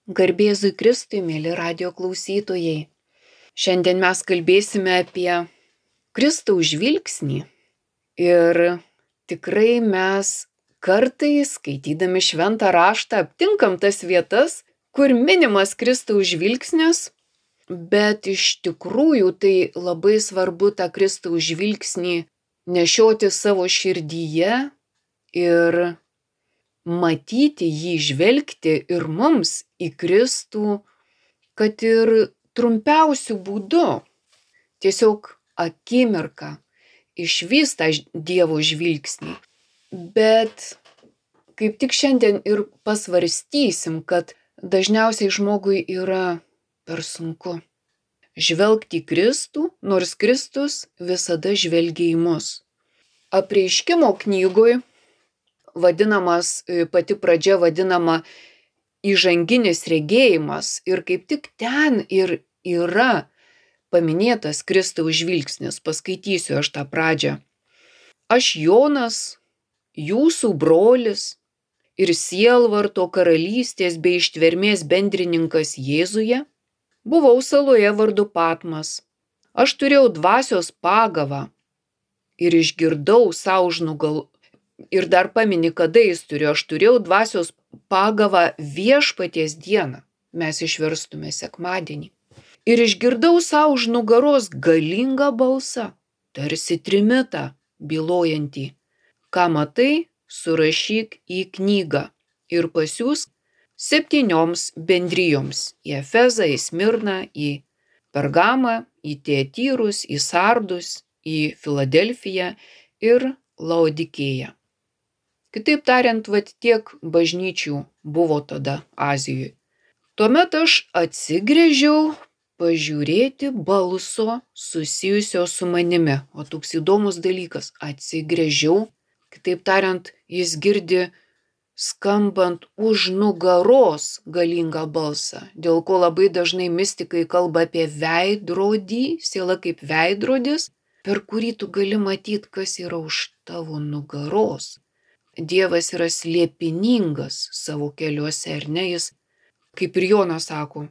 Garbėzui Kristui, mėly radijo klausytojai. Šiandien mes kalbėsime apie Kristaus žvilgsnį. Ir tikrai mes kartais, skaitydami šventą raštą, aptinkam tas vietas, kur minimas Kristaus žvilgsnis, bet iš tikrųjų tai labai svarbu tą Kristaus žvilgsnį nešioti savo širdyje ir matyti jį, žvelgti ir mums į Kristų, kad ir trumpiausių būdų, tiesiog akimirką išvyst tą Dievo žvilgsnį. Bet kaip tik šiandien ir pasvarstysim, kad dažniausiai žmogui yra per sunku žvelgti į Kristų, nors Kristus visada žvelgia į mus. Apreiškimo knygoj pati pradžia vadinama įžanginis regėjimas ir kaip tik ten ir yra paminėtas Kristaus žvilgsnis. Paskaitysiu aš tą pradžią. Aš Jonas, jūsų brolis ir sielvarto karalystės bei ištvermės bendrininkas Jėzuje, buvau saloje vardu Patmas. Aš turėjau dvasios pagavą ir išgirdau sau už nugaros. Ir dar pamini, kada jis turėjo. Aš turėjau dvasios pagavą viešpaties dieną. Mes išverstume sekmadienį. Ir išgirdau sau už nugaros galingą balsą, tarsi trimitą bylojantį. Ką matai, surašyk į knygą ir pasiųsk 7 bendrijoms. Į Efezą, į Smirną, į Pergamą, į Tiatyrus, į Sardus, į Filadelfiją ir Laodikėją. Kitaip tariant, tiek bažnyčių buvo tada Azijoje. Tuomet aš atsigręžiau pažiūrėti balso susijusio su manimi. O toks įdomus dalykas. Atsigręžiau, kitaip tariant, jis girdi skambant už nugaros galingą balsą, dėl ko labai dažnai mistikai kalba apie veidrodį, siela kaip veidrodis, per kurį tu gali matyti, kas yra už tavo nugaros. Dievas yra slėpiningas savo keliuose, ar ne? Jis, kaip ir Jonas sako,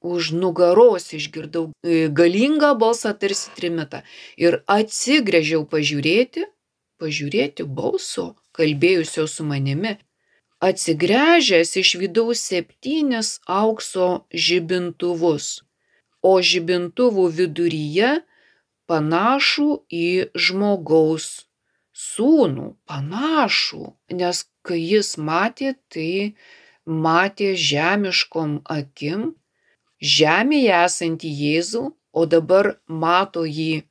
už nugaros išgirdau galingą balsą tarsi trimitą ir atsigręžiau pažiūrėti balso, kalbėjusio su manimi. Atsigręžęs išvydau 7 aukso žibintuvus, o žibintuvų viduryje panašų į žmogaus sūnų, panašų, nes kai jis matė, tai matė žemiškom akim, žemėje esantį Jėzų, o dabar mato jį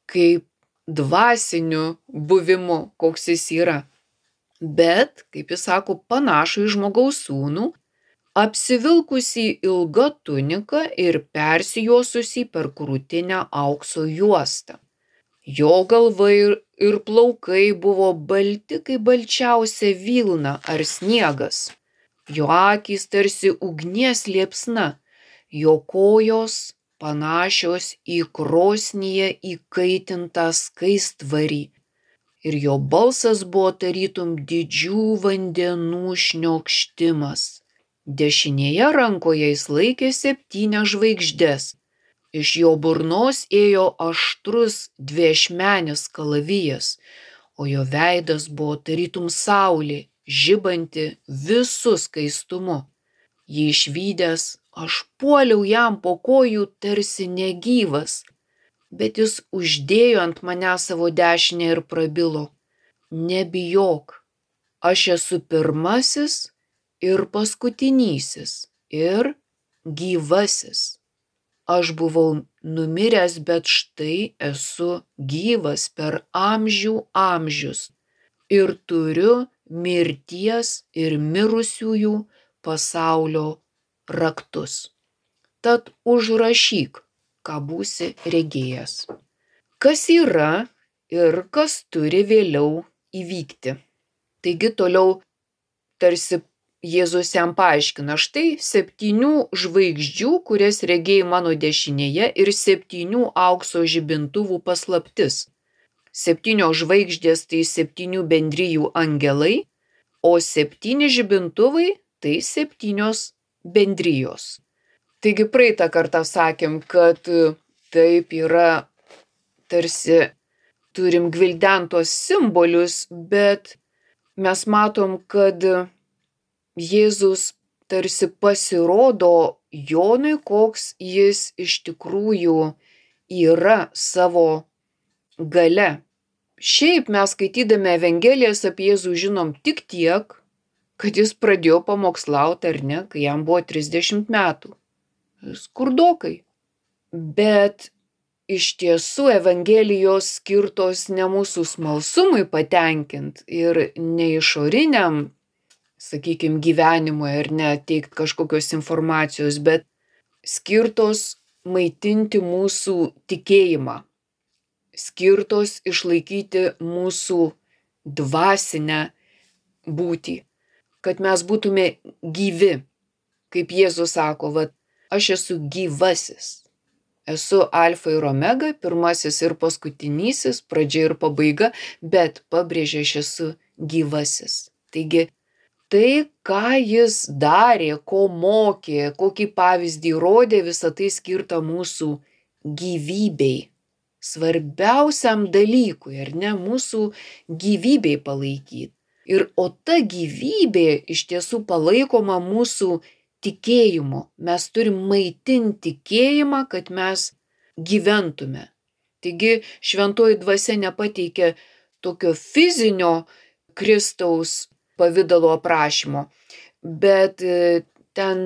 kaip dvasiniu buvimu, koks jis yra. Bet, kaip jis sako, panašų į žmogaus sūnų, apsivilkusį ilgą tuniką ir persijuosusį per krūtinę aukso juostą. Jo galva ir plaukai buvo balti kaip balčiausia vilna ar sniegas. Jo akys tarsi ugnies liepsna, jo kojos panašios į krosnyje įkaitintą skaistvarį. Ir jo balsas buvo tarytum didžių vandenų šniokštimas. Dešinėje rankoje jis laikė 7 žvaigždes. Iš jo burnos ėjo aštrus dviašmenis kalavijas, o jo veidas buvo tarytum saulė, žibanti visu skaistumu. Jį išvydęs, aš puoliau jam po kojų tarsi negyvas, bet jis uždėjo ant mane savo dešinę ir prabilo: nebijok, aš esu pirmasis ir paskutinysis ir gyvasis. Aš buvau numiręs, bet štai esu gyvas per amžių amžius ir turiu mirties ir mirusiųjų pasaulio raktus. Tad užrašyk, ką būsi regėjęs. Kas yra ir kas turi vėliau įvykti. Taigi toliau tarsi Jėzus jam paaiškina, štai 7 žvaigždžių, kurias regėjai mano dešinėje, ir 7 aukso žibintuvų paslaptis. 7 žvaigždės tai 7 bendrijų angelai, o 7 žibintuvai tai 7 bendrijos. Taigi praeitą kartą sakėm, kad taip yra, tarsi turim gvildentos simbolius, bet mes matom, kad Jėzus tarsi pasirodo Jonui, koks jis iš tikrųjų yra savo galia. Šiaip mes skaitydami Evangelijas apie Jėzų žinom tik tiek, kad jis pradėjo pamokslauti, ar ne, kai jam buvo 30 metų. Skurdokai. Bet iš tiesų Evangelijos skirtos ne mūsų smalsumui patenkint ir ne išoriniam, sakykime, gyvenimui ar ne teikt kažkokios informacijos, bet skirtos maitinti mūsų tikėjimą, skirtos išlaikyti mūsų dvasinę būtį, kad mes būtume gyvi. Kaip Jėzus sako, aš esu gyvasis. Esu alfa ir omega, pirmasis ir paskutinysis, pradžia ir pabaiga, bet pabrėžia, aš esu gyvasis. Taigi, tai, ką jis darė, ko mokė, kokį pavyzdį rodė, visa tai skirta mūsų gyvybei. Svarbiausiam dalykui, ar ne, mūsų gyvybei palaikyti. O ta gyvybė iš tiesų palaikoma mūsų tikėjimu. Mes turim maitinti tikėjimą, kad mes gyventume. Taigi šventoji dvasia nepateikia tokio fizinio Kristaus pavidalo aprašymo, bet ten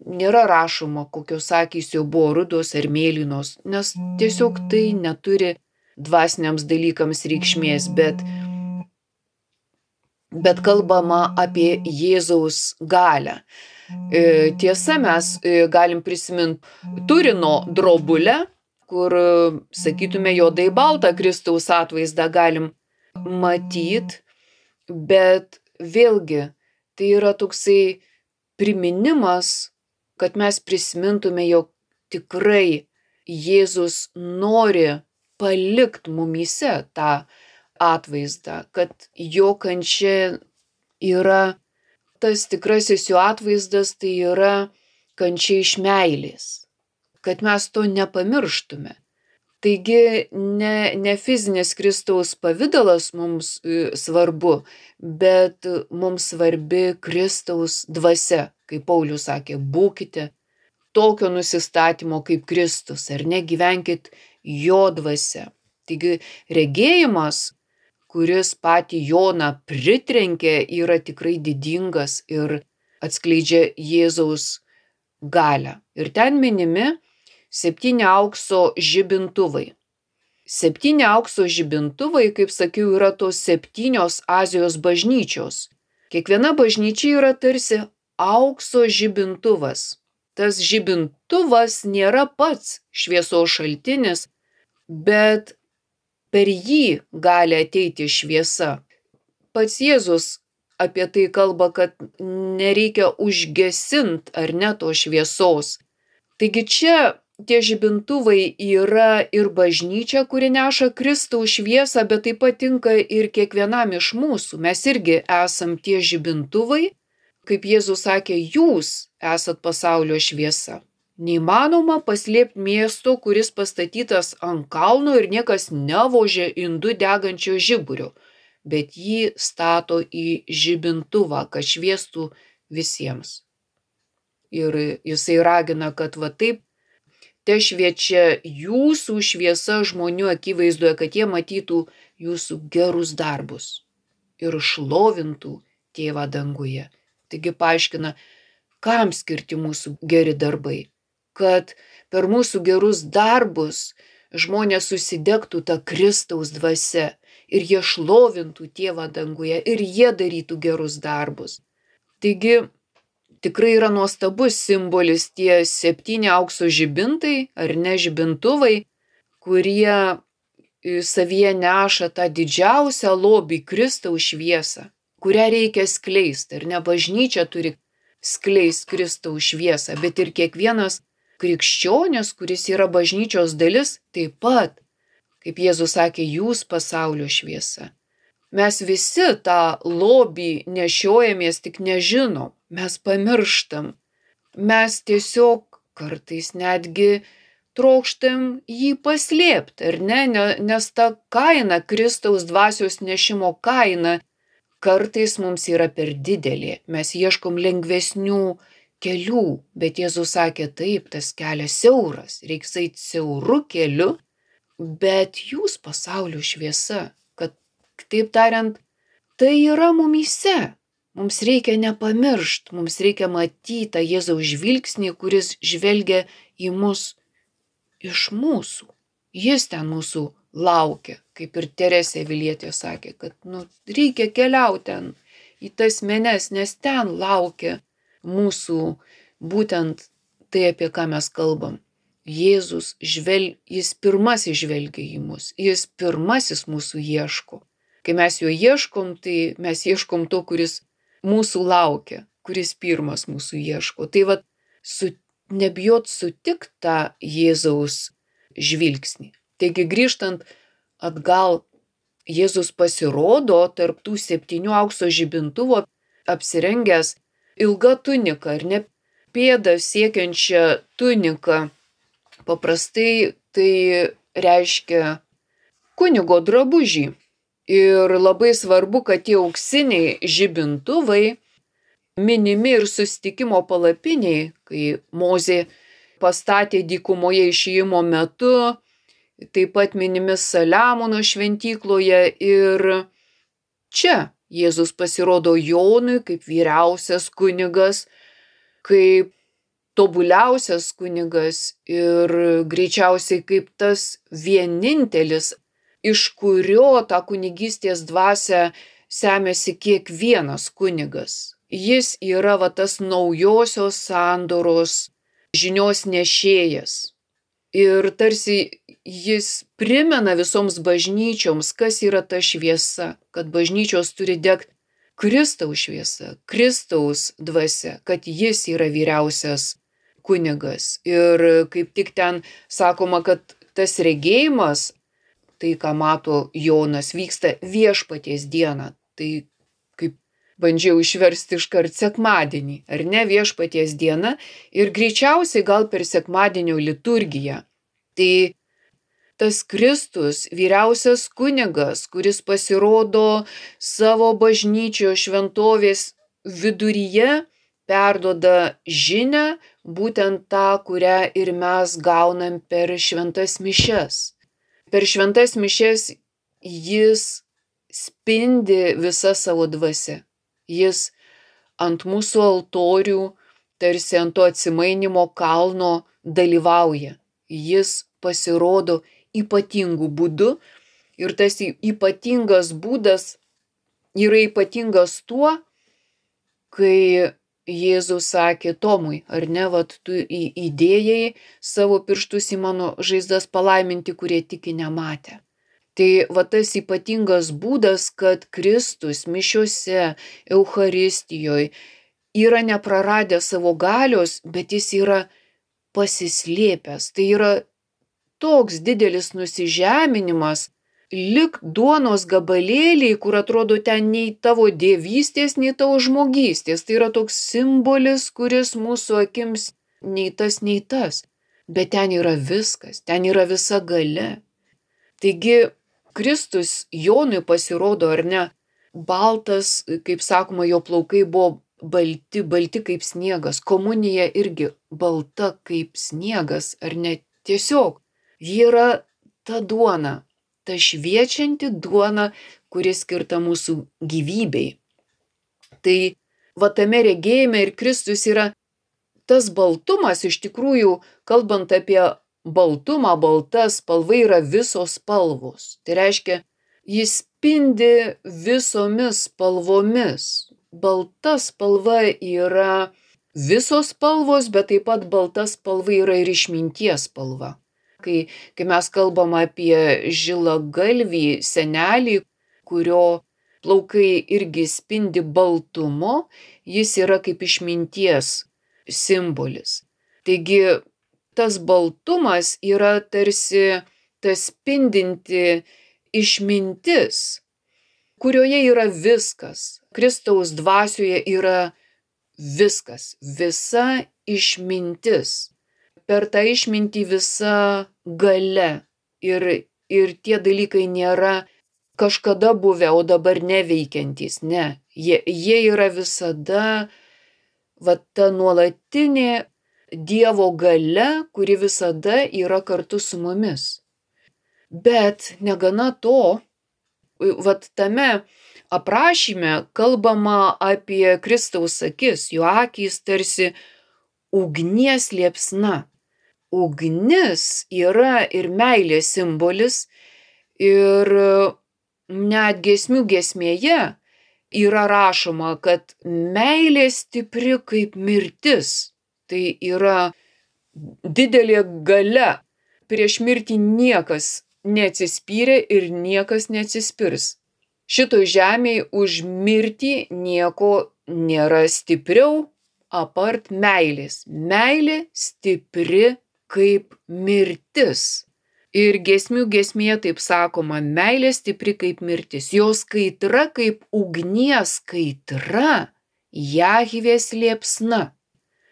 nėra rašoma, kokios akys jo buvo rudos ar mėlynos, nes tiesiog tai neturi dvasiniams dalykams reikšmės, bet kalbama apie Jėzaus galią. Tiesa, mes galim prisiminti Turino drobulę, kur, sakytume, juodai baltą Kristaus atvaizdą galim matyti, bet vėlgi tai yra toksai priminimas, kad mes prisimintume, jog tikrai Jėzus nori palikti mumyse tą atvaizdą, kad jo kančia yra tas tikrasis jo atvaizdas, tai yra kančia iš meilės, kad mes to nepamirštume. Taigi ne fizinis Kristaus pavidalas mums svarbu, bet mums svarbi Kristaus dvasia, kaip Paulius sakė, būkite tokio nusistatymo kaip Kristus, ar ne, gyvenkit jo dvasia. Taigi regėjimas, kuris patį Joną pritrenkė, yra tikrai didingas ir atskleidžia Jėzaus galią. Ir ten minimi 7 aukso žibintuvai. 7 aukso žibintuvai, kaip sakiau, yra tos 7 Azijos bažnyčios. Kiekviena bažnyčia yra tarsi aukso žibintuvas. Tas žibintuvas nėra pats šviesos šaltinis, bet per jį gali ateiti šviesa. Pats Jėzus apie tai kalba, kad nereikia užgesinti ar ne to šviesos. Taigi čia tie žibintuvai yra ir bažnyčia, kuri neša Kristaus šviesą, bet taip pat tinka ir kiekvienam iš mūsų. Mes irgi esam tie žibintuvai, kaip Jėzus sakė, jūs esat pasaulio šviesa. Neįmanoma paslėpti miesto, kuris pastatytas ant kalno ir niekas nevožė indu degančio žiburio, bet jį stato į žibintuvą, kad šviestų visiems. Ir jisai ragina, kad taip te šviečia jūsų šviesa žmonių akivaizdoje, kad jie matytų jūsų gerus darbus ir šlovintų Tėvą danguje. Taigi paaiškina, kam skirti mūsų geri darbai. Kad per mūsų gerus darbus žmonės susidegtų tą Kristaus dvasia ir jie šlovintų Tėvą danguje ir jie darytų gerus darbus. Taigi tikrai yra nuostabus simbolis tie 7 aukso žibintai ar ne žibintuvai, kurie savyje neša tą didžiausią lobį Kristaus šviesą, kurią reikia skleisti. Ir ne bažnyčia turi skleisti Kristaus šviesą, bet ir kiekvienas krikščionis, kuris yra bažnyčios dalis, taip pat, kaip Jėzus sakė, jūs pasaulio šviesa. Mes visi tą lobį nešiojamės, tik nežinom, mes pamirštam. mes tiesiog kartais netgi trokštam jį paslėpti, ar ne? Nes ta kaina, Kristaus dvasios nešimo kaina, kartais mums yra per didelė. Mes ieškom lengvesnių kelių, bet Jėzus sakė, taip, tas kelias siauras, reiks eiti siauru keliu, bet jūs pasaulio šviesa, kad, kitaip tariant, tai yra mumyse. Mums reikia nepamiršti, mums reikia matyti tą Jėzaus žvilgsnį, kuris žvelgia į mus iš mūsų. Jis ten mūsų laukia, kaip ir Teresė Avilietė sakė, kad reikia keliauti ten į tas menes, nes ten laukia mūsų būtent tai, apie ką mes kalbam. Jėzus jis pirmasis žvelgia į mus, jis pirmasis mūsų ieško. Kai mes jo ieškom, tai mes ieškom to, kuris mūsų laukia, kuris pirmas mūsų ieško. Tai nebijot sutikti tą Jėzaus žvilgsnį. Taigi grįžtant atgal, Jėzus pasirodo tarp tų 7 aukso žibintuvų apsirengęs ilga tunika, ar ne, pėdą siekiančią tuniką. Paprastai tai reiškia kunigo drabužį. Ir labai svarbu, kad tie auksiniai žibintuvai minimi ir susitikimo palapiniai, kai Mozė pastatė dykumoje išėjimo metu, taip pat minimi Saliamono šventykloje ir čia Jėzus pasirodo Jonui kaip vyriausias kunigas, kaip tobuliausias kunigas ir greičiausiai kaip tas vienintelis, iš kurio tą kunigystės dvasią semiasi kiekvienas kunigas. Jis yra tas naujosios sandoros žinios nešėjas. Ir tarsi jis primena visoms bažnyčioms, kas yra ta šviesa, kad bažnyčios turi degti Kristaus šviesa, Kristaus dvasia, kad jis yra vyriausias kunigas. Ir kaip tik ten sakoma, kad tas regėjimas, tai, ką mato Jonas, vyksta viešpaties dieną. Tai kaip bandžiau išversti iškart sekmadienį, ar ne, viešpaties diena ir greičiausiai gal per sekmadienio liturgiją. Tai tas Kristus, vyriausias kunigas, kuris pasirodo savo bažnyčios šventovės viduryje, perduoda žinią, būtent tą, kurią ir mes gaunam per šventas mišias. Per šventas mišias jis spindi visa savo dvasia. Jis ant mūsų altorių, tarsi ant to atsimainimo kalno dalyvauja. Jis pasirodo ypatingų būdų ir tas ypatingas būdas yra ypatingas tuo, kai Jėzus sakė Tomui, ar ne, tu įdėjai savo pirštus į mano žaizdas palaiminti, kurie tiki nematę. Tai tas ypatingas būdas, kad Kristus mišiose, Eucharistijoje yra nepraradęs savo galios, bet jis yra pasislėpęs. Tai yra toks didelis nusižeminimas, lik duonos gabalėliai, kur atrodo ten nei tavo dievystės, nei tavo žmogystės. Tai yra toks simbolis, kuris mūsų akims nei tas. Bet ten yra viskas, ten yra visa galia. Taigi Kristus Jonui pasirodo, ar ne, baltas, kaip sakoma, jo plaukai buvo balti kaip sniegas. Komunija irgi balta kaip sniegas, ar ne, tiesiog. Ji yra ta duona. Ta šviečianti duona, kuri skirta mūsų gyvybei. Tai tame regėjime ir Kristus yra tas baltumas, iš tikrųjų, kalbant apie baltumą, balta spalva yra visos spalvos. Tai reiškia, jis spindi visomis spalvomis. Balta spalva yra visos spalvos, bet taip pat balta spalva yra ir išminties spalva. Kai mes kalbam apie žilagalvį senelį, kurio plaukai irgi spindi baltumo, jis yra kaip išminties simbolis. Taigi tas baltumas yra tarsi tas spindinti išmintis, kurioje yra viskas. Kristaus dvasioje yra viskas, visa išmintis. Per tą išmintį visa galia. Ir tie dalykai nėra kažkada buvę, o dabar neveikiantys. Ne, jie yra visada ta nuolatinė Dievo galia, kuri visada yra kartu su mumis. Bet negana to, tame aprašyme kalbama apie Kristaus akis, jo akys tarsi ugnies liepsna. Ugnis yra ir meilės simbolis, ir net giesmių giesmėje yra rašoma, kad meilė stipri kaip mirtis. Tai yra didelė galia. Prieš mirtį niekas neatsispyrė ir niekas neatsispirs. Šitoj žemėje už mirtį nieko nėra stipriau apart meilės. Meilė stipri kaip mirtis. Ir giesmių giesmėje taip sakoma, meilė stipri kaip mirtis. Jos kaitra kaip ugnies kaitra, Jahvės liepsna.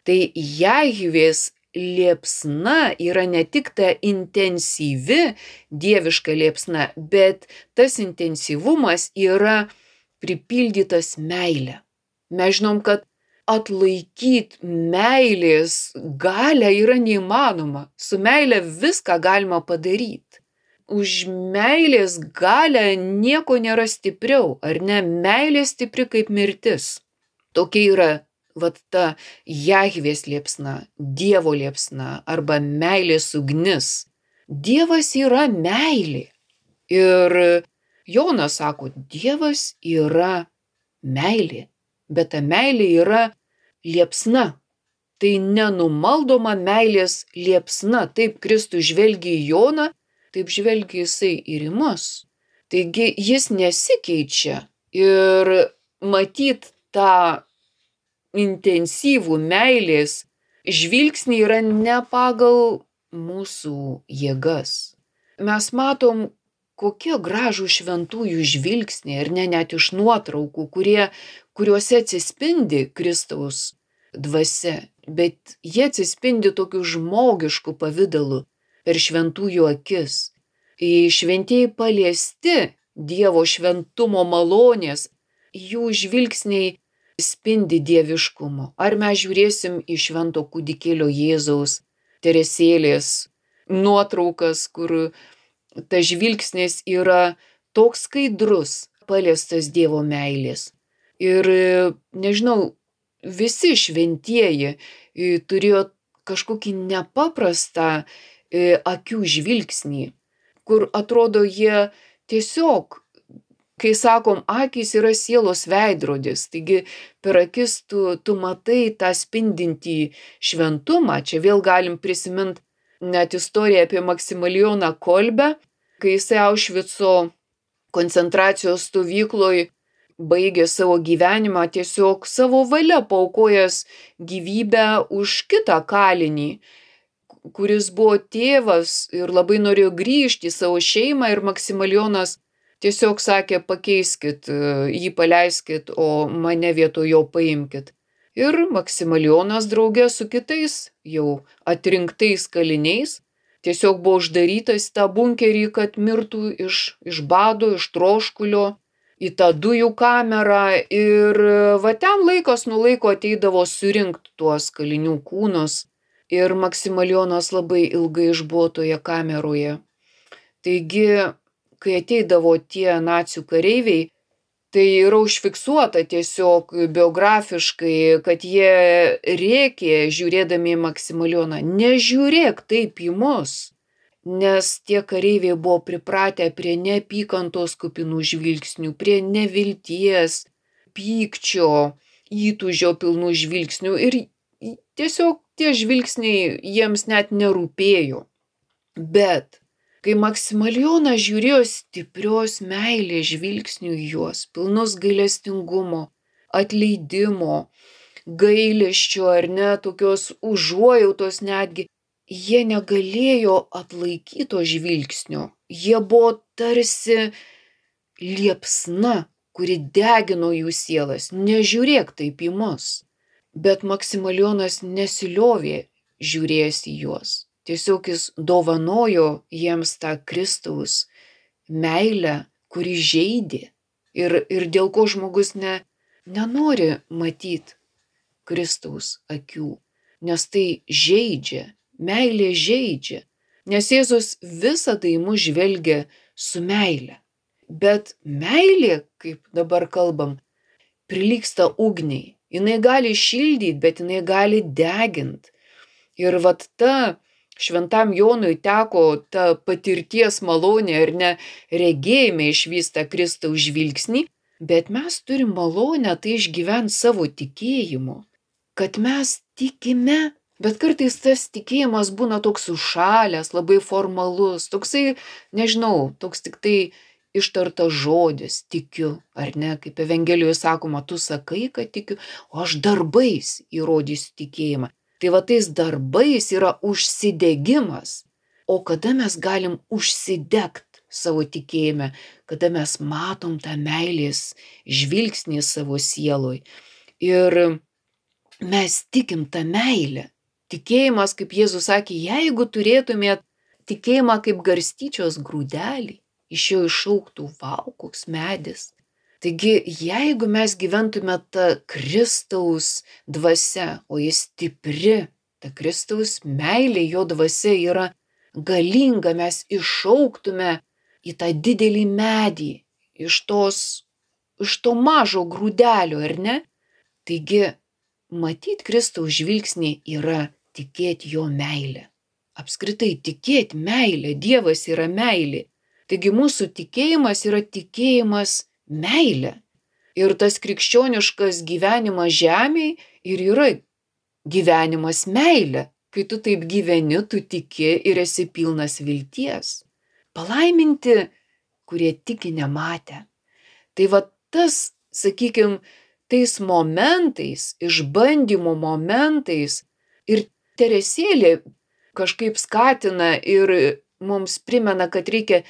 Tai Jahvės liepsna yra ne tik ta intensyvi dieviška liepsna, bet tas intensyvumas yra pripildytas meilė. Mes žinom, kad atlaikyti meilės galią yra neįmanoma. Su meilė viską galima padaryti. Už meilės galią nieko nėra stipriau, ar ne? Meilė stipri kaip mirtis. Tokia yra ta Jahvės liepsna, Dievo liepsna arba meilės ugnis. Dievas yra meilė. Ir Jonas sako, Dievas yra meilė. Bet ta meilė yra liepsna. Tai nenumaldoma meilės liepsna. Taip Kristus žvelgia į Joną, taip žvelgia jisai ir į mus. Taigi jis nesikeičia. Ir matyt tą intensyvų meilės žvilgsnį yra ne pagal mūsų jėgas. Mes matom, kokie gražų šventųjų žvilgsniai, ir net iš nuotraukų, kuriuose atsispindi Kristaus dvasia, bet jie atsispindi tokiu žmogišku pavidalu per šventųjų akis. Šventieji paliesti Dievo šventumo malonės, jų žvilgsniai spindi dieviškumu. Ar mes žiūrėsim į švento kūdikėlio Jėzaus Teresėlės nuotraukas, kur tas žvilgsnis yra toks skaidrus, paliestas Dievo meilės. Ir nežinau, visi šventieji turėjo kažkokį nepaprastą akių žvilgsnį, kur atrodo jie tiesiog, kai sakom, akys yra sielos veidrodis, taigi per akis tu matai tą spindintį šventumą. Čia vėl galim prisiminti net istoriją apie Maksimilijoną Kolbę, kai jisai Aušvico koncentracijos stovykloj baigė savo gyvenimą, tiesiog savo valia paaukojęs gyvybę už kitą kalinį, kuris buvo tėvas ir labai norėjo grįžti į savo šeimą, ir Maksimilijonas tiesiog sakė, pakeiskit, jį paleiskit, o mane vietoj jo paimkit. Ir Maksimilijonas draugė su kitais jau atrinktais kaliniais tiesiog buvo uždarytas į tą bunkerį, kad mirtų iš bado, iš troškulio, į tą dujų kamerą. Ir ten laikas nuo laiko ateidavo surinkti tuos kalinių kūnus. Ir Maksimilijonas labai ilgai išbuvo toje kameroje. Taigi, kai ateidavo tie nacių kareiviai, tai yra užfiksuota tiesiog biografiškai, kad jie rėkė žiūrėdami į Maksimilijoną, nežiūrėk taip į mus, nes tie kareiviai buvo pripratę prie neapykantos kupinų žvilgsnių, prie nevilties, pykčio, įtūžio pilnų žvilgsnių, ir tiesiog tie žvilgsniai jiems net nerūpėjo. Bet kai Maksimilijonas žiūrėjo stiprios meilės žvilgsnių į juos, pilnus gailestingumo, atleidimo, gailesčio ar ne, tokios užuojautos netgi, jie negalėjo atlaikyti to žvilgsnio. Jie buvo tarsi liepsna, kuri degino jų sielas. Nežiūrėk taip į mus. Bet Maksimilijonas nesiliovė žiūrėjęs į juos. Tiesiog jis dovanojo jiems tą Kristaus meilę, kuri žeidė ir dėl ko žmogus nenori matyti Kristaus akių, nes tai žeidžia, meilė žeidžia, nes Jėzus visada į mus žvelgia su meile. Bet meilė, kaip dabar kalbam, prilygsta ugniai. Jinai gali šildyti, bet jinai gali deginti. Ir vat ta Šventam Jonui teko ta patirties malonė ar ne regėjime išvysta Kristaus žvilgsnį, bet mes turim malonę tai išgyventi savo tikėjimu, kad mes tikime, bet kartais tas tikėjimas būna toks užšalęs, labai formalus, toksai, nežinau, toks tik tai ištartas žodis, tikiu, ar ne, kaip Evangelijoje sakoma, tu sakai, kad tikiu, o aš darbais įrodysiu tikėjimą. Tai va tais darbais yra užsidegimas. O kada mes galim užsidegt savo tikėjime, kada mes matom tą meilės žvilgsnį savo sieloj. Ir mes tikim tą meilę. Tikėjimas, kaip Jėzus sakė, jeigu turėtumėt tikėjimą kaip garstyčios grūdelį, iš jo išaugtų vau, koks medis. Taigi, jeigu mes gyventume tą Kristaus dvasia, o jis stipri, ta Kristaus meilė, jo dvasia yra galinga, mes išaugtume į tą didelį medį, iš to mažo grūdelio, ar ne? Taigi, matyt Kristaus žvilgsnį yra tikėti jo meilę. Apskritai, tikėti meilę, Dievas yra meilė. Taigi, mūsų tikėjimas yra tikėjimas meilė. Ir tas krikščioniškas gyvenimas žemėje ir yra gyvenimas meilė. Kai tu taip gyveni, tu tiki ir esi pilnas vilties. Palaiminti, kurie tiki nematę. Tai va tas, sakykime, tais momentais, išbandymo momentais ir Teresėlė kažkaip skatina ir mums primena, kad reikia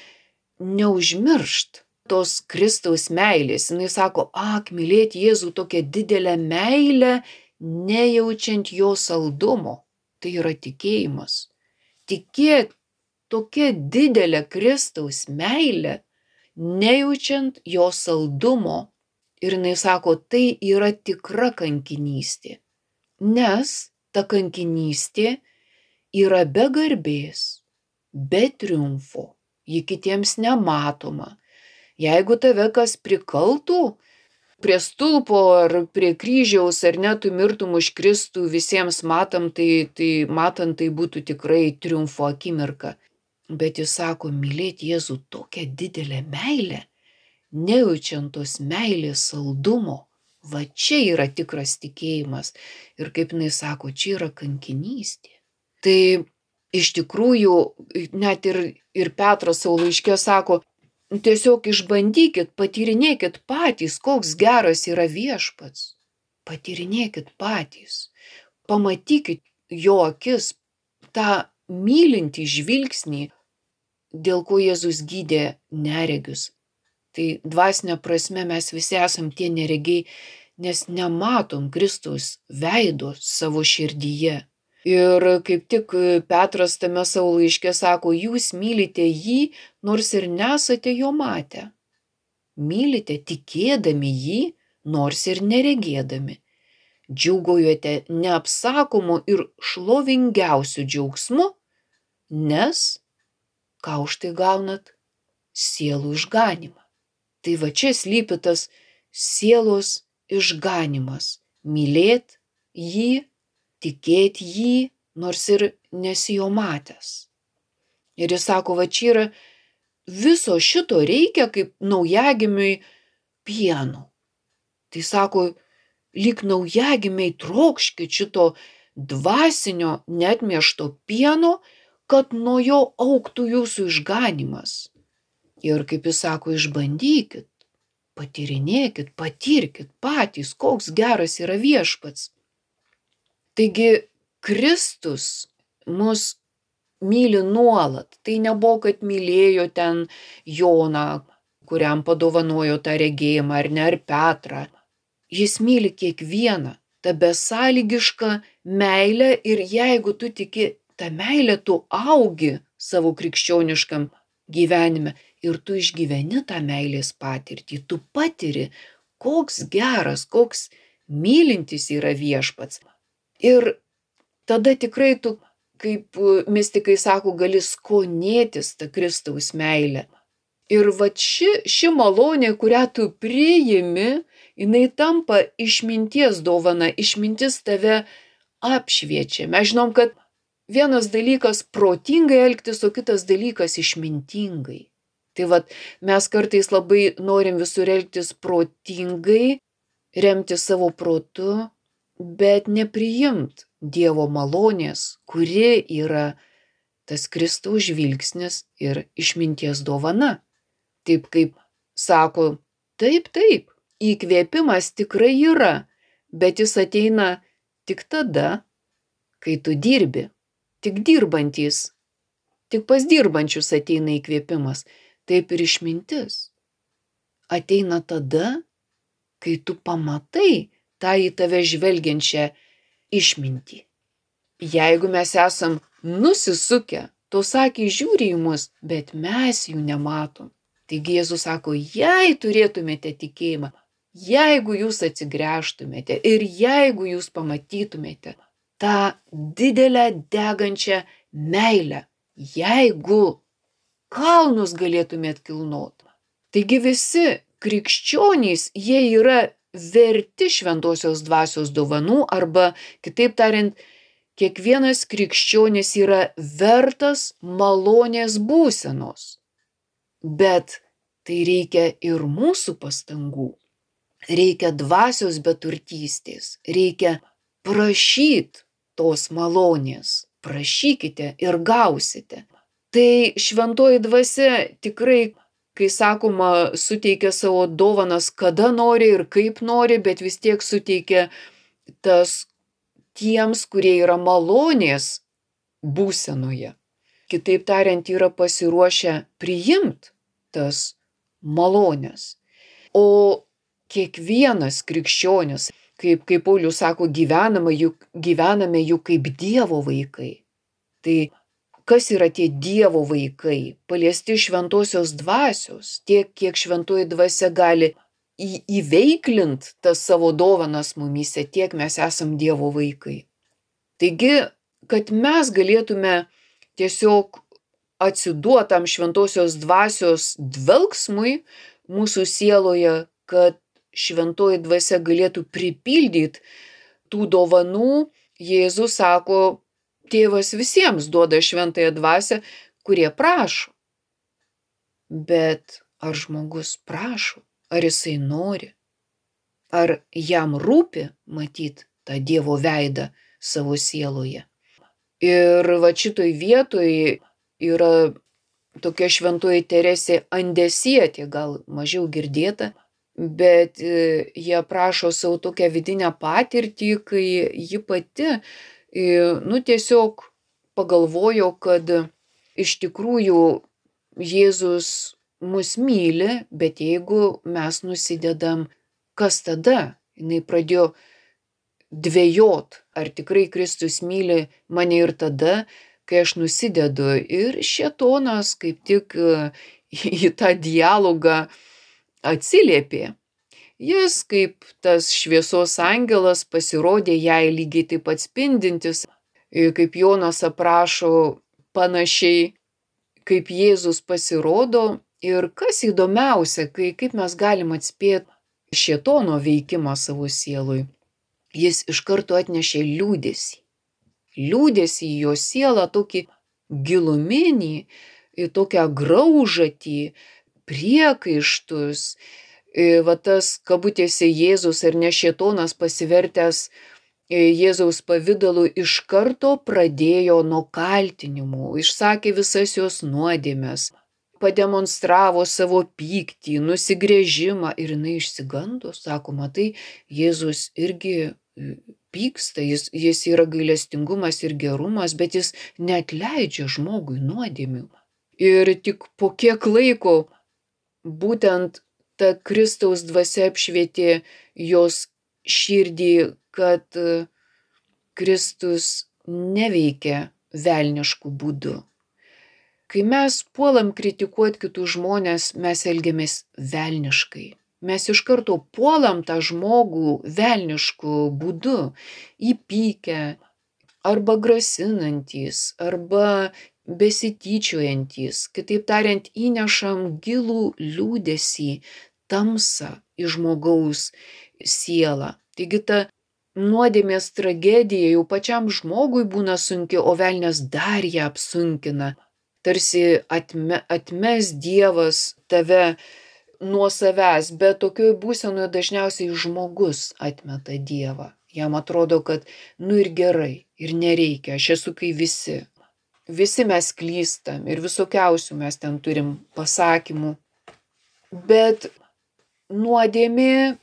neužmiršt tos Kristaus meilės. Jis sako, mylėti Jėzų tokią didelę meilę, nejaučiant jo saldumo. Tai yra tikėjimas. Tikėti tokia didelė Kristaus meilė, nejaučiant jo saldumo. Ir jis sako, tai yra tikra kankinystė. Nes ta kankinystė yra be garbės, be triumfo, ji kitiems nematoma. Jeigu tave kas prikaltų prie stulpo ar prie kryžiaus, ar net tu mirtum už Kristų, visiems matant tai būtų tikrai triumfo akimirka. Bet jis sako, mylėti Jėzų tokią didelę meilę, nejaučiant tos meilės saldumo. Va čia yra tikras tikėjimas. Ir kaip jinai sako, čia yra kankinystė. Tai iš tikrųjų, net ir Petras savo laiške sako, tiesiog išbandykit, patyrinėkit patys, koks geras yra viešpats. Patyrinėkit patys. Pamatykit jo akis, tą mylintį žvilgsnį, dėl ko Jėzus gydė neregius. Tai dvasinė prasme mes visi esam tie neregiai, nes nematom Kristaus veido savo širdyje. Ir kaip tik Petras tame savo laiške sako, jūs mylite jį, nors ir nesate jo matę. Mylite tikėdami jį, nors ir neregėdami. Džiūgaujate neapsakomu ir šlovingiausiu džiaugsmu, nes ką už tai gaunat? Sielų išganymą. Tai va čia slypi tas sielos išganymas. Mylėt jį, tikėt jį, nors ir nesi jo matęs. Ir jis sako, va čia yra viso šito reikia kaip naujagimiui pieno. Tai sako, lyg naujagimiai trokškit šito dvasinio neatmiešto pieno, kad nuo jo augtų jūsų išganymas. Ir kaip jis sako, išbandykit, patyrinėkit, patirkit patys, koks geras yra viešpats. Taigi Kristus mus myli nuolat. Tai nebuvo, kad mylėjo ten Joną, kuriam padovanojo tą regėjimą, ar ne, ar Petrą. Jis myli kiekvieną. ta besąlygiška meilė ir jeigu tu tiki tą meilę, tu augi savo krikščioniškam gyvenime ir tu išgyveni tą meilės patirtį, tu patiri, koks geras, koks mylintis yra viešpats. Ir tada tikrai tu, kaip mistikai sako, gali skonėtis tą Kristaus meilę. Ir vat ši malonė, kurią tu priimi, jinai tampa išminties dovana, išmintis tave apšviečia. Mes žinom, kad vienas dalykas protingai elgtis, o kitas dalykas išmintingai. Tai vat mes kartais labai norim visur elgtis protingai, remti savo protu, bet nepriimt Dievo malonės, kuri yra tas Kristaus žvilgsnis ir išminties dovana. Taip kaip sako, taip, įkvėpimas tikrai yra, bet jis ateina tik tada, kai tu dirbi. Tik dirbantys, tik pas dirbančius ateina įkvėpimas. Taip ir išmintis ateina tada, kai tu pamatai tą į tave žvelgiančią išmintį. Jeigu mes esam nusisukę, tos akys žiūri į mus, bet mes jų nematom. Taigi Jėzus sako, jei turėtumėte tikėjimą, jeigu jūs atsigręžtumėte ir jeigu jūs pamatytumėte tą didelę degančią meilę, jeigu kalnus galėtumėt kilnot. Taigi visi krikščionys, jie yra verti šventosios dvasios dovanų arba, kitaip tariant, kiekvienas krikščionis yra vertas malonės būsenos. Bet tai reikia ir mūsų pastangų. Reikia dvasios beturtystės, reikia prašyti tos malonės. Prašykite ir gausite. Tai šventoji dvasia tikrai, kai sakoma, suteikia savo dovanas kada nori ir kaip nori, bet vis tiek suteikia tas tiems, kurie yra malonės būsenoje. Kitaip tariant, yra pasiruošę priimti tas malonės. O kiekvienas krikščionis, kaip Paulius sako, gyvename juk kaip Dievo vaikai. Tai kas yra tie Dievo vaikai? Paliesti šventosios dvasios, tiek kiek šventoji dvasia gali įveiklint tas savo dovanas mumyse, tiek mes esam Dievo vaikai. Taigi, kad mes galėtume tiesiog atsiduotam šventosios dvasios dvelksmui mūsų sieloje, kad šventoji dvasia galėtų pripildyti tų dovanų, Jėzus sako, Tėvas visiems duoda šventąją dvasią, kurie prašo. Bet ar žmogus prašo? Ar jisai nori? Ar jam rūpi matyti tą Dievo veidą savo sieloje? Ir va šitoj vietoj yra tokia šventoji Teresė Andesietė, gal mažiau girdėta, bet jie prašo savo tokią vidinę patirtį, kai ji pati tiesiog pagalvojo, kad iš tikrųjų Jėzus mus myli, bet jeigu mes nusidedam, kas tada? Jinai pradėjo dvejot, ar tikrai Kristus myli mane ir tada, kai aš nusidedu. Ir šėtonas kaip tik į tą dialogą atsiliepė. Jis kaip tas šviesos angelas pasirodė jai lygiai taip pat spindintis, kaip Jonas aprašo panašiai, kaip Jėzus pasirodo. Ir kas įdomiausia, kaip mes galim atspėti šėtono veikimą savo sielui. Jis iš karto atnešė liūdesį. Liūdesį į jo sielą, tokį giluminį, tokią graužatį, priekaištus. Va tas kabutėse Jėzus ar ne šėtonas pasivertęs Jėzaus pavidalu iš karto pradėjo nuo kaltinimų, išsakė visas jos nuodėmes, pademonstravo savo pyktį, nusigręžimą ir jinai išsigando, sako, matai, Jėzus irgi pyksta, jis yra gailestingumas ir gerumas, bet jis neatleidžia žmogui nuodėmių. Ir tik po kiek laiko būtent ta Kristaus dvasia apšvietė jos širdį, kad Kristus neveikia velniškų būdų. Kai mes puolam kritikuoti kitus žmonės, mes elgiamės velniškai. Mes iš karto puolam tą žmogų velnišku būdu, įpykę, arba grasinantys, arba besityčiojantys. Kitaip tariant, įnešam gilų liūdesį, tamsą į žmogaus sielą. Taigi ta nuodėmės tragedija jau pačiam žmogui būna sunki, o velnias dar ją apsunkina. Tarsi atmes Dievas tave nuo savęs, bet tokioj būsenoje dažniausiai žmogus atmeta Dievą. Jam atrodo, kad ir gerai, ir nereikia, aš esu kai visi. Visi mes klystam ir visokiausių mes ten turim pasakymų. Bet nuodėmė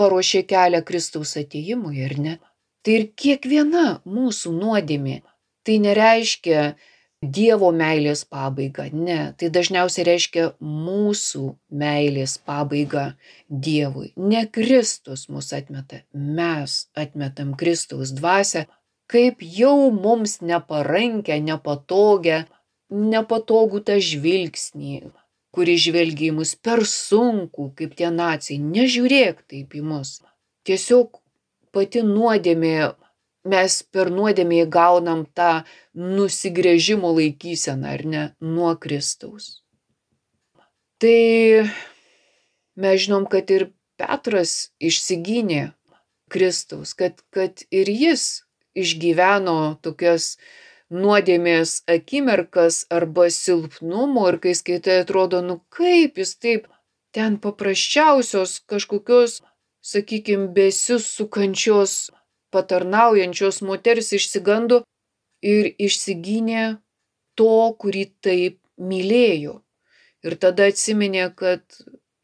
paruošė kelią Kristaus atėjimui, ar ne? Tai ir kiekviena mūsų nuodėmė, tai nereiškia Dievo meilės pabaigą, ne, tai dažniausiai reiškia mūsų meilės pabaigą Dievui. Ne Kristus mus atmeta, mes atmetam Kristaus dvasią, kaip jau mums neparankę, nepatogų tą žvilgsnį, kuri žvelgia į mus per sunku, kaip tie naciai. Nežiūrėk taip į mus. Tiesiog pati nuodėmė, mes per nuodėmę įgaunam tą nusigręžimo laikyseną, ar ne, nuo Kristaus. Tai mes žinom, kad ir Petras išsigynė Kristaus, kad ir jis išgyveno tokias nuodėmės akimirkas arba silpnumo, ir kai skaitai atrodo, kaip jis taip ten paprasčiausios kažkokios, sakykime, besisukančios, patarnaujančios moters išsigando ir išsigynė to, kurį taip mylėjo. Ir tada atsiminė, kad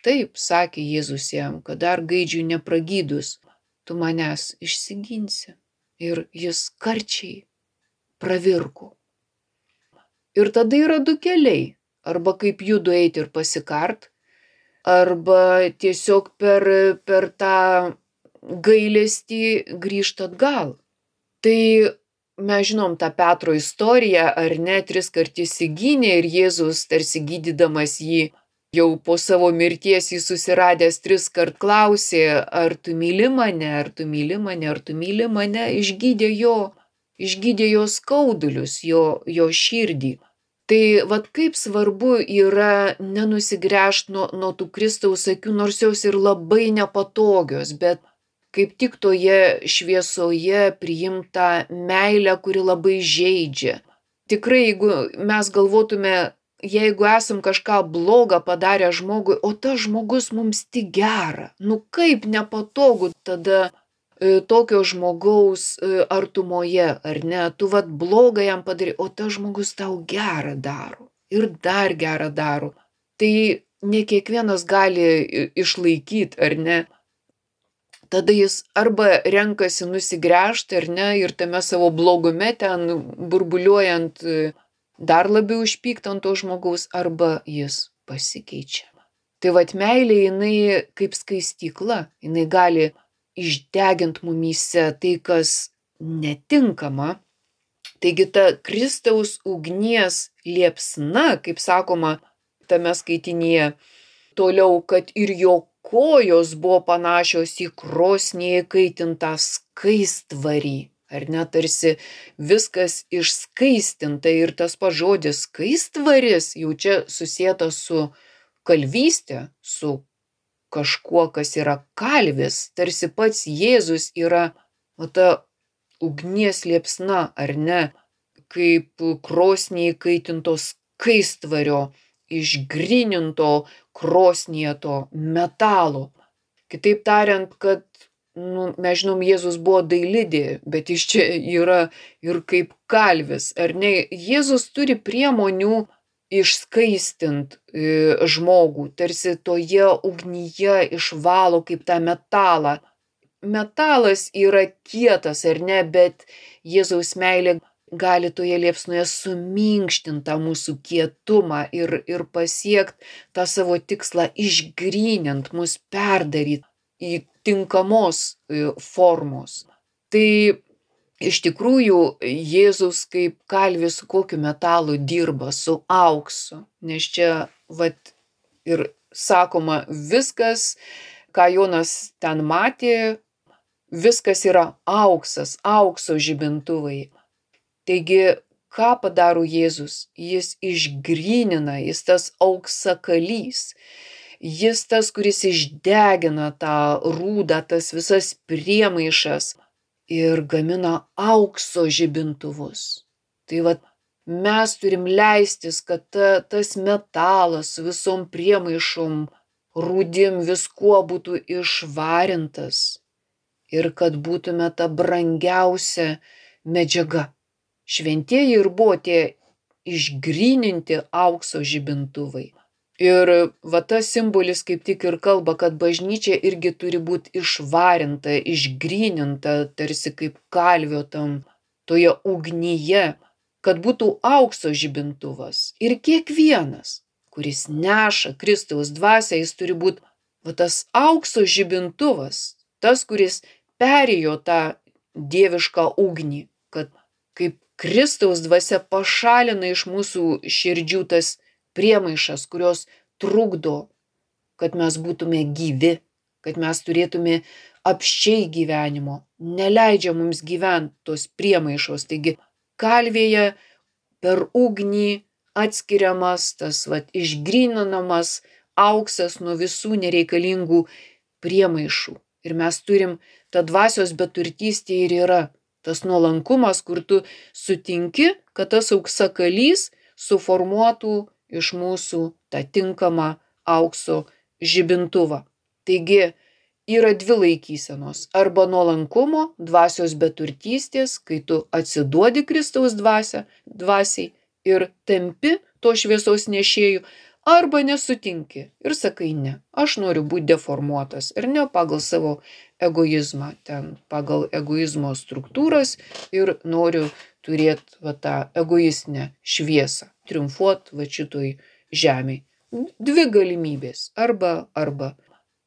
taip, sakė Jėzus jam, kad dar gaidžiui nepragydus, tu manęs išsiginsi. Ir jis karčiai pravirko. Ir tada yra du keliai. Arba kaip judu eiti ir pasikart, arba tiesiog per tą gailestį grįžt atgal. Tai mes žinom tą Petro istoriją, ar ne, 3 kartus įsigynė ir Jėzus, tarsi gydydamas jį, jau po savo mirties jį susiradęs 3 kart klausė, ar tu myli mane, ar tu myli mane, ar tu myli mane, išgydė jo skaudulius, jo širdį. Tai vat kaip svarbu yra nenusigręžti nuo tų Kristaus akių, nors jos ir labai nepatogios, bet kaip tik toje šviesoje priimta meilė, kuri labai žeidžia. Tikrai, jeigu mes galvotume, jeigu esam kažką blogą padarę žmogui, o tas žmogus mums tik gera, kaip nepatogu tada tokio žmogaus artumoje, ar ne, tu vat blogą jam padarai, o tas žmogus tau gerą daro ir dar gerą daro. Tai ne kiekvienas gali išlaikyti, ar ne. Tada jis arba renkasi nusigręžti, ar ne, ir tame savo blogume ten burbuliuojant dar labiau išpykti ant to žmogaus, arba jis pasikeičia. Tai vat meilė, jinai kaip skaistykla, jinai gali išdeginti mumyse tai, kas netinkama. Taigi ta Kristaus ugnies liepsna, kaip sakoma tame skaitinyje, toliau, kad ir jo kojos buvo panašios į krosnyje įkaitintą skaistvarį, ar ne, tarsi viskas išskaistinta, ir tas pats žodis skaistvaris jau čia susietas su kalvystė, su kažkuo, kas yra kalvis, tarsi pats Jėzus yra ta ugnies liepsna, ar ne, kaip krosnyje įkaitinto skaistvario, išgryninto krosnyje to metalo. Kitaip tariant, kad, mes žinom, Jėzus buvo dailidė, bet jis čia yra ir kaip kalvis, ar ne? Jėzus turi priemonių išskaistint žmogų, tarsi toje ugnyje išvalo kaip tą metalą. Metalas yra kietas, ar ne, bet Jėzaus meilė gali toje liepsnoje suminkštinti tą mūsų kietumą ir pasiekti tą savo tikslą, išgrynint mus, perdaryti į tinkamos formos. Tai iš tikrųjų Jėzus kaip kalvis su kokiu metalu dirba, su auksu, nes čia ir sakoma viskas, ką Jonas ten matė, viskas yra auksas, aukso žibintuvai. Taigi, ką padaro Jėzus? Jis išgrynina, jis tas auksakalys. Jis tas, kuris išdegina tą rūdą, tas visas priemaišas ir gamina aukso žibintuvus. Tai mes turim leistis, kad tas metalas su visom priemaišom, rūdim, viskuo būtų išvarintas ir kad būtume ta brangiausia medžiaga. Šventieji ir buvo tie išgryninti aukso žibintuvai. Ir tas simbolis kaip tik ir kalba, kad bažnyčia irgi turi būti išvarinta, išgryninta, tarsi kaip kalvio toje ugnyje, kad būtų aukso žibintuvas. Ir kiekvienas, kuris neša Kristaus dvasią, jis turi būti tas aukso žibintuvas, tas, kuris perėjo tą dievišką ugnį, kad kaip Kristaus dvasia pašalina iš mūsų širdžių tas priemaišas, kurios trukdo, kad mes būtume gyvi, kad mes turėtume apsčiai gyvenimo, neleidžia mums gyventi tos priemaišos. Taigi kalvėje per ugnį atskiriamas tas išgryninamas auksas nuo visų nereikalingų priemaišų. Ir mes turim, ta dvasios beturtystė ir yra tas nuolankumas, kur tu sutinki, kad tas auksakalys suformuotų iš mūsų tą tinkamą aukso žibintuvą. Taigi yra dvi laikysenos. Arba nuolankumo, dvasios beturtystės, kai tu atsiduodi Kristaus dvasiai ir tampi to šviesos nešėjų, arba nesutinki ir sakai ne, aš noriu būti deformuotas ir ne pagal savo egoizmą, ten pagal egoizmo struktūras ir noriu turėti tą egoistinę šviesą, triumfuot šitoj žemėj. Dvi galimybės, arba.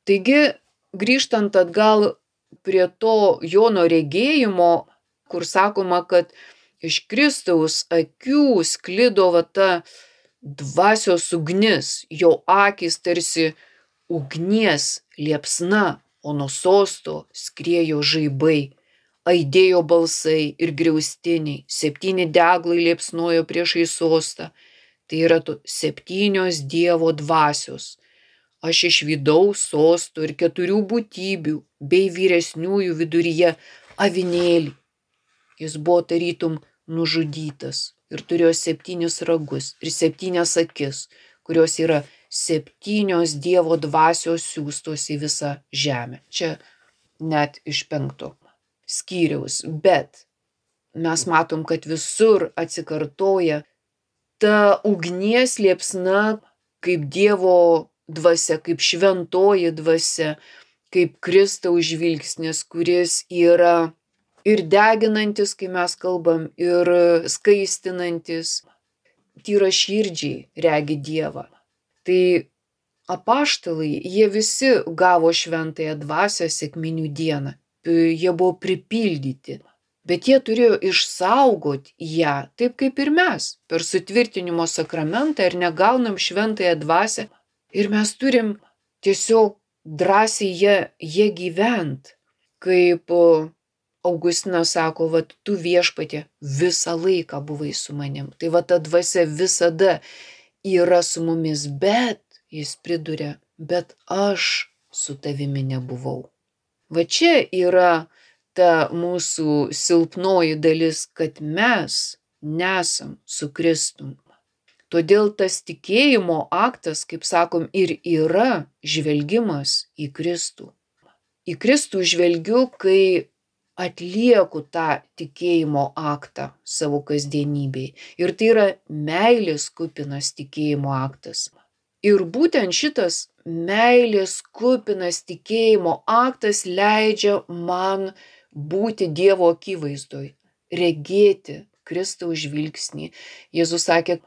Taigi, grįžtant atgal prie to Jono regėjimo, kur sakoma, kad iš Kristaus akių sklido ta dvasios ugnis, jo akys tarsi ugnies liepsna, o nuo sosto skriejo žaibai, aidėjo balsai ir griaustiniai, 7 deglai liepsnojo priešais sostą. Tai yra 7 Dievo dvasios. Aš išvydau sostų ir 4 būtybių bei vyresniųjų viduryje avinėlį. Jis buvo tarytum nužudytas ir turėjo 7 ragus ir 7 akis, kurios yra 7 Dievo dvasios siųstos į visą žemę. Čia net iš 5 skyriaus, bet mes matom, kad visur atsikartoja ta ugnies liepsna kaip Dievo dvasia, kaip šventoji dvasia, kaip Kristaus žvilgsnis, kuris yra ir deginantis, kai mes kalbam, ir skaistinantis, tyra širdžiai regi Dievą. Tai apaštalai, jie visi gavo šventąją dvasią sekminių dieną. Jie buvo pripildyti, bet jie turėjo išsaugoti ją, taip kaip ir mes, per sutvirtinimo sakramentą ir negaunam šventąją dvasią. Ir mes turim tiesiog drąsiai jie gyvent, kaip Augustinas sako, tu Viešpatie visą laiką buvai su manim. Tai ta dvasia visada yra su mumis, bet, jis priduria, bet aš su tavimi nebuvau. Čia yra ta mūsų silpnoji dalis, kad mes nesam su Kristum. Todėl tas tikėjimo aktas, kaip sakom, ir yra žvelgimas į Kristų. Į Kristų žvelgiu, kai atlieku tą tikėjimo aktą savo kasdienybėj. Ir tai yra meilės kupinas tikėjimo aktas. Ir būtent šitas meilės kupinas tikėjimo aktas leidžia man būti Dievo akivaizdoj, regėti Kristaus žvilgsnį. Jėzus sakė,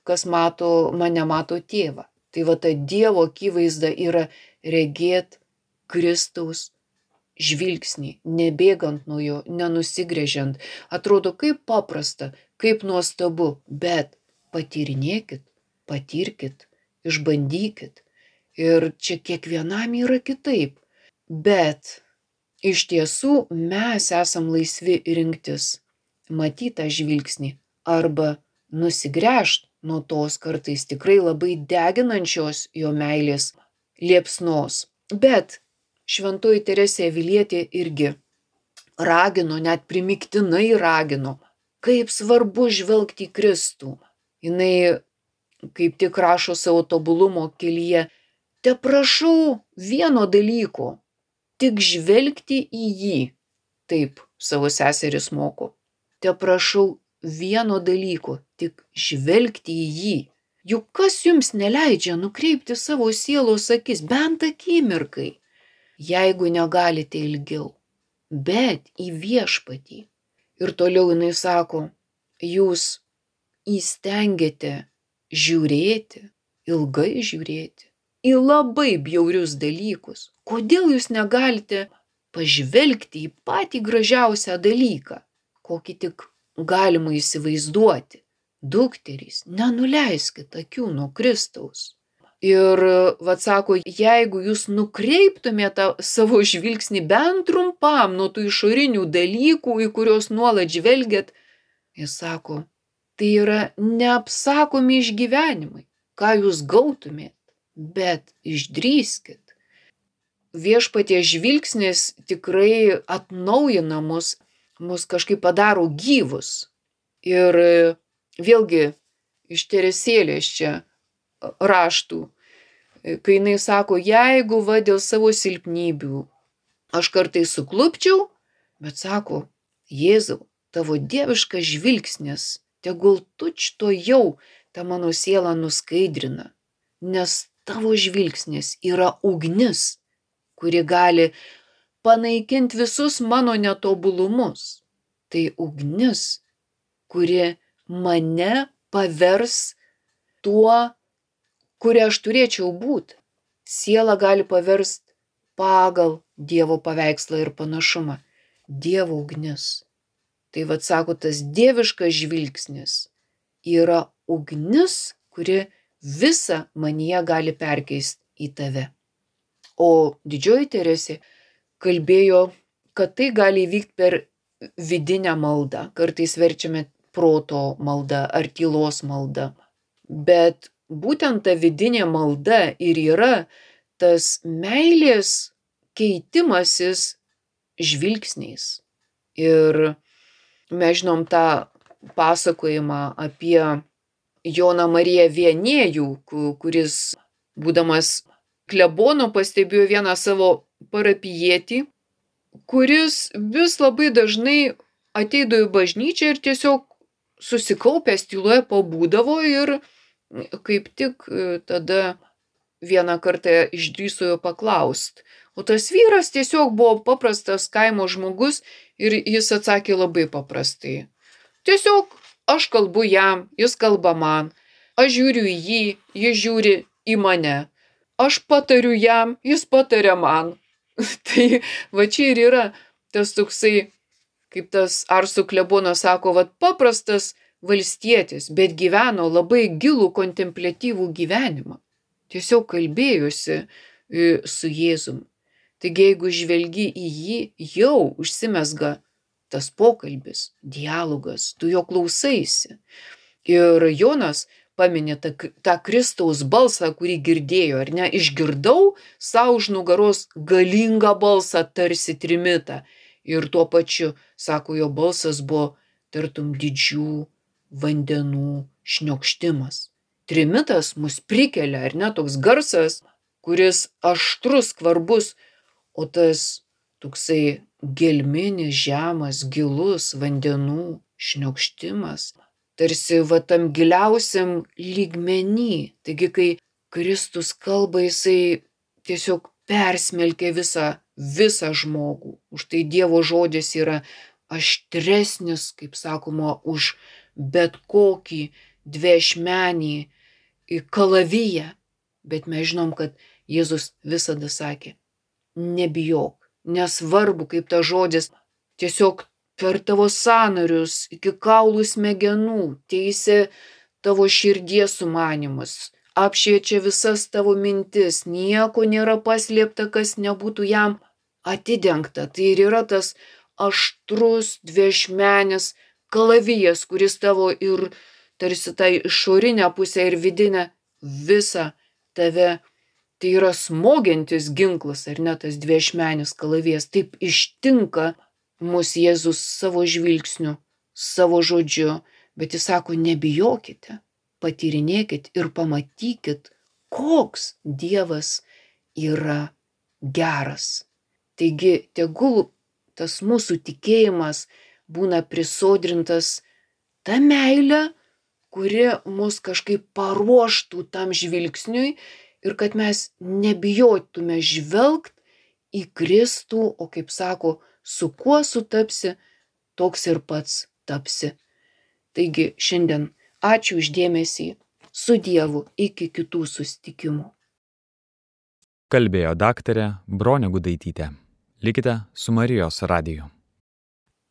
kas mato mane, mato tėvą. Tai ta Dievo akivaizda yra regėt Kristaus žvilgsnį, nebėgant nuo jo, nenusigręžiant. Atrodo kaip paprasta, kaip nuostabu, bet patyrinėkit, patirkit, išbandykit. Ir čia kiekvienam yra kitaip. Bet iš tiesų mes esam laisvi rinktis, matytą žvilgsnį arba nusigręžt nuo tos kartais tikrai labai deginančios jo meilės liepsnos. Bet šventoji Teresė Avilietė irgi ragino, net primygtinai ragino, kaip svarbu žvelgti į Kristų. Jinai kaip tik rašo savo tobulumo kelyje, teprašau vieno dalyko, tik žvelgti į jį. Taip savo seseris moko. Teprašau vieno dalyko, tik žvelgti į jį. Juk kas jums neleidžia nukreipti savo sielos akis bent akimirkai, jeigu negalite ilgiau, bet į viešpatį. Ir toliau jinai sako, jūs įstengiate žiūrėti, ilgai žiūrėti, į labai bjaurius dalykus. Kodėl jūs negalite pažvelgti į patį gražiausią dalyką, kokį tik galima įsivaizduoti? Dukterys, nenuleiskit akių nuo Kristaus. Ir sako, jeigu jūs nukreiptumėte savo žvilgsnį bent trumpam nuo tų išorinių dalykų, į kuriuos nuolat žvelgiat, jis sako, tai yra neapsakomi išgyvenimai, ką jūs gautumėt, bet išdrįskit. Viešpaties žvilgsnis tikrai atnaujina mus kažkaip padaro gyvus. Ir vėlgi iš Teresėlės čia raštų, kai jinai sako, jeigu dėl savo silpnybių aš kartais suklupčiau, bet sako, Jėzau, tavo dieviškas žvilgsnis, tegul tučtuojau tą mano sielą nuskaidrina, nes tavo žvilgsnis yra ugnis, kuri gali panaikinti visus mano netobulumus. Tai ugnis, kuri mane pavers tuo, kuria aš turėčiau būti. Siela gali paverst pagal Dievo paveikslą ir panašumą. Dievo ugnis. Tai sako, tas dieviškas žvilgsnis yra ugnis, kuri visą manyje gali perkeisti į tave. O didžioji Teresė kalbėjo, kad tai gali įvykti per vidinę maldą. Kartais verčiame proto malda ar tylos malda. Bet būtent ta vidinė malda ir yra tas meilės keitimasis žvilgsniais. Ir mes žinom tą pasakojimą apie Joną Mariją Vienėjų, kuris, būdamas klebonu, pastebėjo vieną savo parapijietį, kuris vis labai dažnai ateidavo į bažnyčią ir tiesiog susikaupęs tyloje pabūdavo ir kaip tik tada vieną kartą išdrįso jo paklaust. O tas vyras tiesiog buvo paprastas kaimo žmogus ir jis atsakė labai paprastai. Tiesiog aš kalbu jam, jis kalba man, aš žiūriu į jį, jis žiūri į mane. Aš patariu jam, jis pataria man. Tai čia ir yra tas toksai, kaip tas Arsų klebonas sako, paprastas valstietis, bet gyveno labai gilų kontempliatyvų gyvenimą. Tiesiog kalbėjosi su Jėzum. Taigi, jeigu žvelgi į jį, jau užsimezga tas pokalbis, dialogas, tu jo klausaisi. Ir Jonas paminė tą Kristaus balsą, kurį girdėjo, ar ne? Išgirdau sau už nugaros galingą balsą, tarsi trimitą. Ir tuo pačiu, sako, jo balsas buvo tartum didžių vandenų šniokštimas. Trimitas mus prikelia, ar ne? Toks garsas, kuris aštrus, skvarbus, o tas toksai gelminis, žemas, gilus vandenų šniokštimas, tarsi tam giliausiam lygmenį. Taigi, kai Kristus kalba, jisai tiesiog persmelkia visą žmogų. Už tai Dievo žodis yra aštresnis, kaip sakoma, už bet kokį dviašmenį kalaviją. Bet mes žinom, kad Jėzus visada sakė, nebijok, nesvarbu, kaip tas žodis, tiesiog per tavo sąnarius, iki kaulų smegenų, teisė tavo širdies sumanimus, apšviečia visas tavo mintis, nieko nėra paslėpta, kas nebūtų jam atidengta. Tai ir yra tas aštrus, dviešmenis kalavijas, kuris tavo ir tarsi tą išorinę pusę ir vidinę visą tave, tai yra smogiantis ginklas, ar ne, tas dviešmenis kalavijas. Taip ištinka mus Jėzus savo žvilgsniu, savo žodžiu, bet jis sako, nebijokite, patyrinėkit ir pamatykit, koks Dievas yra geras. Taigi, tegul tas mūsų tikėjimas būna prisodrintas ta meilė, kuri mus kažkaip paruoštų tam žvilgsniui ir kad mes nebijotume žvelgt į Kristų, o kaip sako, su kuo sutapsi, toks ir pats tapsi. Taigi šiandien ačiū už dėmesį, su Dievu iki kitų susitikimų. Kalbėjo daktarė Bronė Gudaitytė. Likite su Marijos radiju.